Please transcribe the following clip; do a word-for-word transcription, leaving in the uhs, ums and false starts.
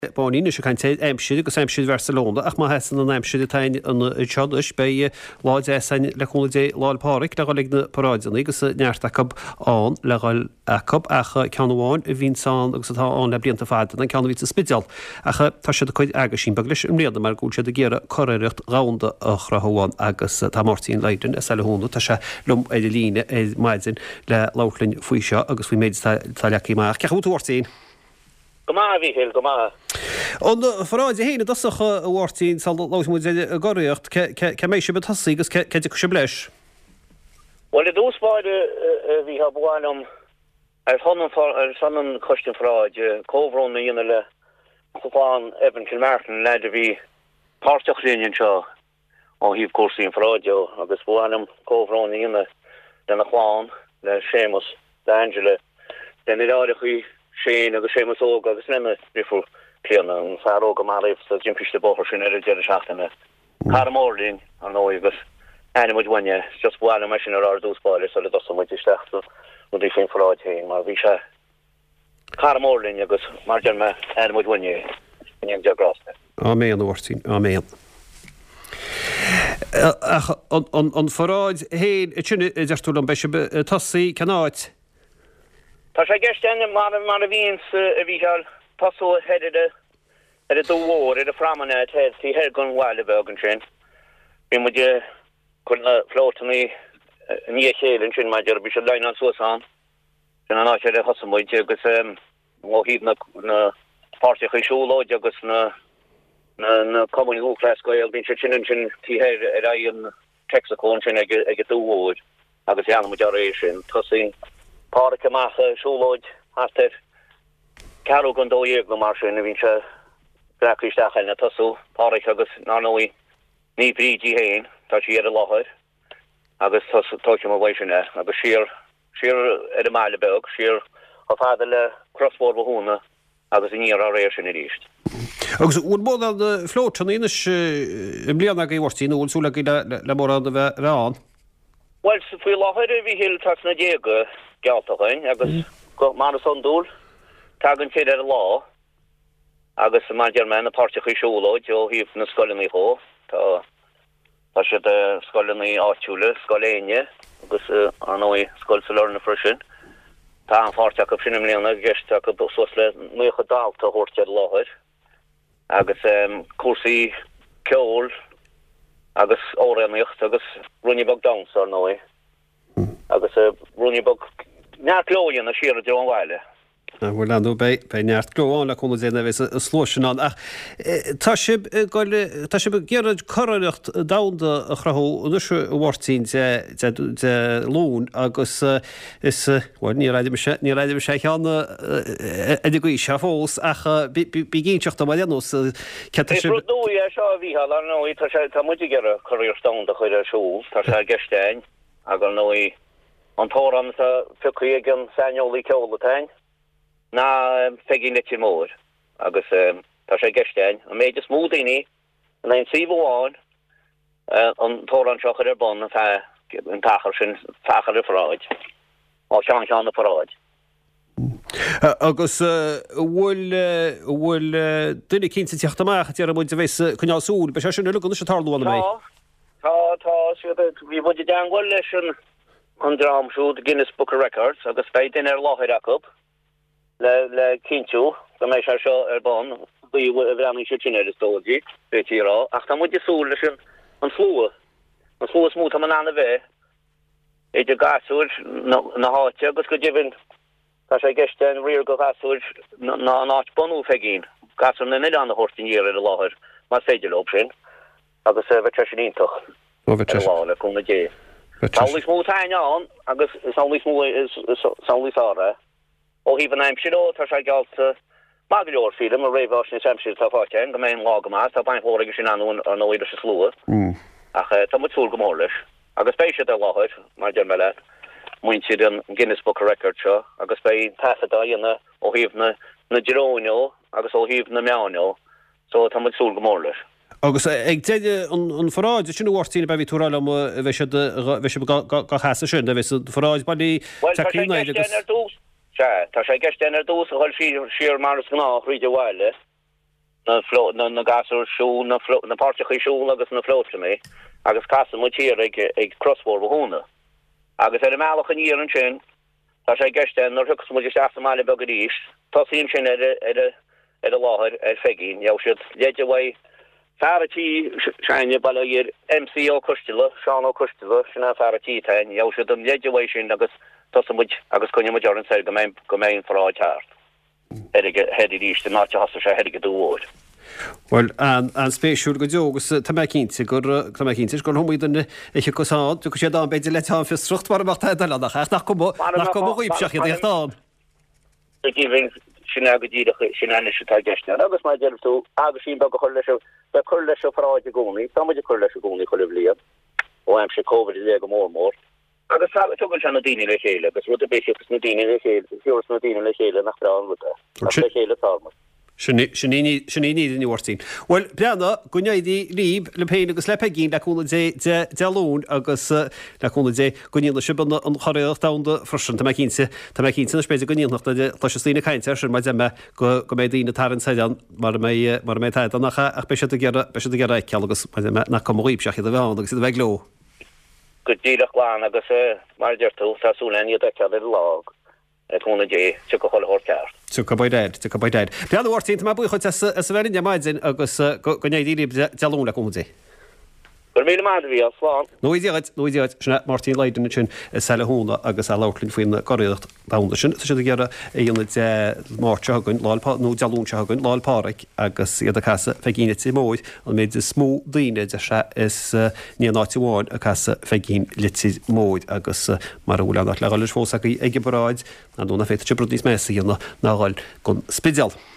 Báinín anois ag caint ar aimsir agus aimsir Bharcelona ach má sheasann an aimsir atá anseo anois beidh lá deas againn le cúnamh Dé Lá 'le Pádraig le dhul ag na paráideanna agus neart acu ann le dhul acu ach ceann amháin a bhíonns ann agus atá ann le blianta fada an ceann a bhíonn sa Spidéal ach tá siad ag cur aguisín beag leis i mbliana mar go bhfuil siad ag iarraidh curiarracht dhomhanda a chruthú ann agus tá Máirtín Lydon as Saile Thúna tá sé liom ar an líne ar maidin le labhairt linn faoi seo agus faoin méid atá leagtha amach. Cén chaoi a bhfuil tú Mháirtín? Go maith, a Mhíchíl, go maith. An pharáid féin i dtosach, a Mháirtín, sula labhróidh muid ar an gcuriarracht, cá mbeidh sibh ag tosaí agus cá dtiocfaidh sibh leis? Bhuel, i dtús báire, a Mhícheál, ba mhaith liom, ar son an, ar son an Choiste an Pharáid, comhbhrón a dhéanamh le clann Evan Kilmartin, leaid a bhí páirteach linn anseo ó thaobh cúrsaí an pharáid de, agus ba mhaith liom comhbhrón a dhéanamh lena chlann, le Séamus, le Angela, lena dheartháireachaí Shane agus Séamus Óg agus lena dheirfiúr Clíona, an fear óg a maraíodh sa timpiste bóthair sin ar an deireadh seachtaine. Cara mór linn, ar ndóigh, agus aithníonn muid uainn é. Just ba mhaith liom é sin a rá ar dtús báire sula dtosaíonn muid isteach sna rudaí faoin pharáid féin, mar bhí sé cara mór linn agus, mar a deir mé, aithníonn muid uainn é. Go ndéana Dia grásta air. Áiméan, a Mháirtín, áiméan. Ach an pharáid féin, sin a deir tú liom, beidh sibh ag tosaí cén áit? Tá sé i gceist againn, mar a bhíonns, a Mhícheáil, tosú thoir ar ar an Dumha Mhór, ar an phromenade thoir, taobh thoir den bhaile beag ansin. Bíonn muid ag cur na floatannaí i ndiaidh a chéile ansin, mar a déarfá, bíonn siad líneáilte suas ann. Sin an áit ar a thosaigh muid agus ó thaobh na na páirteachaí siúlóide agus na na na cumainn Lúthchleas Gael, bíonn siad sin ansin taobh thoir ar aghaidh an Texaco ansin ag an Dumha Mhór agus leanann muid dá réir sin. Tosaíonn Páraic amach ag siúlóid thart ar ceathrú don dó dhéag nó mar sin a bhíonn sé leagtha isteach againn ag tosú, Páraic agus ar ndóigh Naomh Bríd í féin, tá sí ar an láthair agus tógfaidh muid uaidh sin é agus siar, siar ar an mbaile beag, siar chomh fada le Cros Mhór Bhothúna agus aniar dá réir sin arís. Agus an bhfuil mórán floatannaí anois i mbliana agaibh, a Mháirtín, nó an bhfuil súil agaibh le mórán a bheith ann? Bhuel, faoi láthair, a Mhíchíl, tá sna déaga geallta againn agus, mar is iondúil, tagann fir ar an lá agus, mar a deir mé, na páirteachaí siúlóid ó thaobh na scoileanna dhó, tá. Tá siad scoileanna áitiúla, Scoil Éinne agus ar ndóigh Scoil Sailearna freisin. Tá an-pháirt acu sin i mbliana, i gceist acu suas le naocha dalta a thabhairt ar an láthair agus cúrsaí ceoil agus amhránaíocht agus ruainne beag damhsa ar ndóigh agus ruainne beag neart gleo a dhéanamh siar i dtreo an bhaile. Bhuel, ar ndóigh, beidh, beidh neart gleo ann le cúnamh Dé nuair a bheas an slua sin ann. Ach tá sibh ag goil, tá sibh ag iarraidh curiarracht domhanda a chruthú anois a Mháirtín Dé, Dé, Dé Luain agus is, bhuel, níor airigh mise, níor airigh mise ceann ar an gcaoi seo fós ach bí, bí, bí ag inseacht dom ar aon nós céard tá Is sibh. rud nua é seo a Mhícheáil, ar ndóigh, tá sé, tá muid ag iarraidh curiarracht domhanda a chur ar siúl, tá sé i gceist againn ach ar ndóigh, An t-amhrán atá pioctha ag an saineolaí ceoil atá againn ná Peigín Leitir Móir agus tá sé i gceist againn an méid is mó daoine in aon suíomh amháin an t-amhrán seo a chur ar bun ar feadh an t-achar sin, achar an pharáid, ó cheann ceann na paráide. Agus an bhfuil, an bhfuil duine eicínt ag teacht amach, déarfaidh muid, a bheas ag coinneáil súil, beidh sé sin uilig anois ag tarlú an mbeidh? Tá, tá, tá siad ag, bhí muid i dteangmháil leis an, an dream siúd, Guinness Book of Records, agus beidh duine ar láthair acu le, le cinntiú go mbeidh sé seo ar bun, gcaoi a bhreathnaíonn siad sin air is dóigh, d'fhéadfaí a rá, ach tá muid ag súil leis an, an slua, an slua is mó atá in ann a bheith idir gasúir na, na háite agus go deimhin Tá sé i gceist againn riar do ghasúir na an áit bunú Pheigín, gasúir na n-oileán a thabhairt aniar ar an láthair más féidir leo sin agus bheadh sé sin iontach ar an lá le cúnamh Dé. Is amhlaidh is mó atá againn ann agus is amhlaidh is mó is amhlaidh is fearr é. Ó thaobh an aimsir dhó tá sé geallta maith go leor sílim, an réamhaisnéis aimsire atá faighte againn go mbeidh an lá go maith, tá baint mhór aige sin ar ndóigh leis an slua ach tá muid súil go mór leis. Agus beidh siad ar láthair, mar a deir mé leat, muintir an Guinness Book of Records seo, agus beidh taifead á dhéanamh ó thaobh na na dróin dhó agus ó thaobh na meáin dhó, so tá muid ag súil go mór leis. Agus ag deireadh an pharáid sin a Mháirtín, ab ea bhí tú ag rá liom, bheidh siad, bheidh sibh dhá sheasamh sin, bheidh an pharáid bailí Bhuel, tá tagtha sé i in gceist agus. againn ar dtús, sea, tá sé i gceist againn ar dtús a dhul siar, siar mar is gnách thríd an bhaile, na fló na na gasúir siúl na fló na páirteacha siúl agus na flótanna agus casann muid thiar ag ag Cros Mhór Bhothúna. Agus ar an mbealach aniar ansin tá sé i gceist nuair a thiocfas muid isteach sa mbaile beag arís tosaí ansin ar ar ar an láthair ar Pheigín gheobhaidh siad leide uaidh fear a' tí s'againne bail ó Dhia air MC Ó Coisteala Seán Ó Coisteala sin an fear a' tí atá ann gheobhaidh siad an leide uaidh sin agus tosóidh muid agus coinneoidh muid orainn soir go mbeidh go mbeidh an pharáid thart thoir ag thoir arís an áit a thosaigh sé thoir ag an Dumha Mhóir. Bhuel, an-spéisiúil go deo agus tá mé cinnte gur tá mé cinnte gur iomaí duine a thiocfas ann, tiocfaidh siad ann b'fhéidir le teann fiosracht mar a bheadh tada eile ann ach nach cuma nach cuma dhaoibh ach iad a theacht ann. Go deimhin, sin é go díreach sin é anois atá i gceist ann agus mar a deir tú aguisín beag a chur leis an bheith cur leis an pharáid i gcónaí, tá muid ag cur leis i gcónaí chuile bhliain, ó aimsir Covid i leith go mór mór. Agus tugann sé na daoine le chéile agus rud ar bith a thiocfas na daoine le chéile, thiúrfas na daoine le chéile nach breá an rud é. Ach le chéile atá muid. Sin í sin í sin í an fhírinne a Mháirtín. Bhuel, breathnaigh, go n-éirí libh, libh féin agus le Peigín, le cúnamh Dé Dé Dé Luain agus le cúnamh Dé go ndéanfaidh sibh an an churiarracht domhanda freisin. Tá mé cinnte, tá mé cinnte anois b'fhéidir go ndéanfadh nuair a chloisfeas daoine ag caint air sin mar deir mé go go mbeidh daoine ag tarraingt soir ann mara mbeidh mara mbeidh tada ann ach ach beidh siad ag iarraidh beidh siad ag iarraidh a fheiceáil agus mar deir mé nach cuma dhaoibhse ach iad a bheith ann agus iad a bheith ag gleo. Go díreach glan agus mar a deir tú, tá súil againn iad a fheiceáil ar an lá, le cúnamh Dé, tiocfaidh chuile shórt ceart. Tiocfaidh by dad, tiocfaidh by dad. Breathnaigh a Mháirtín, tá mé buíoch dhuit as as a bheith linn ar maidin agus go go n-éirí libh Dé Luain le cúnamh Dé. Go raibh míle maith agat, a Mhícheál, slán. Go ngnóthaí Dia dhuit, go ngnóthaí Dia dhuit. Sin é Máirtín Lydon ansin i Saile Thúna agus é ag labhairt linn faoin gcuriarracht domhanda sin. Tá siad ag iarraidh a dhéanamh Dé Máirt seo chugainn, Lá 'le nó Dé Luain seo chugainn, Lá 'le Pádraig agus iad ag casadh Pheigín Leitir Móir, an méid is mó daoine, a deir sé, is in aon áit amháin ag casadh Pheigín Leitir Móir agus mara bhfuil aon áit le dhul leis fós agaibh ag an bparáid, ar ndóigh nach bhféadfadh sibh rud níos measa a dhéanamh ná dhul gon Spidéal.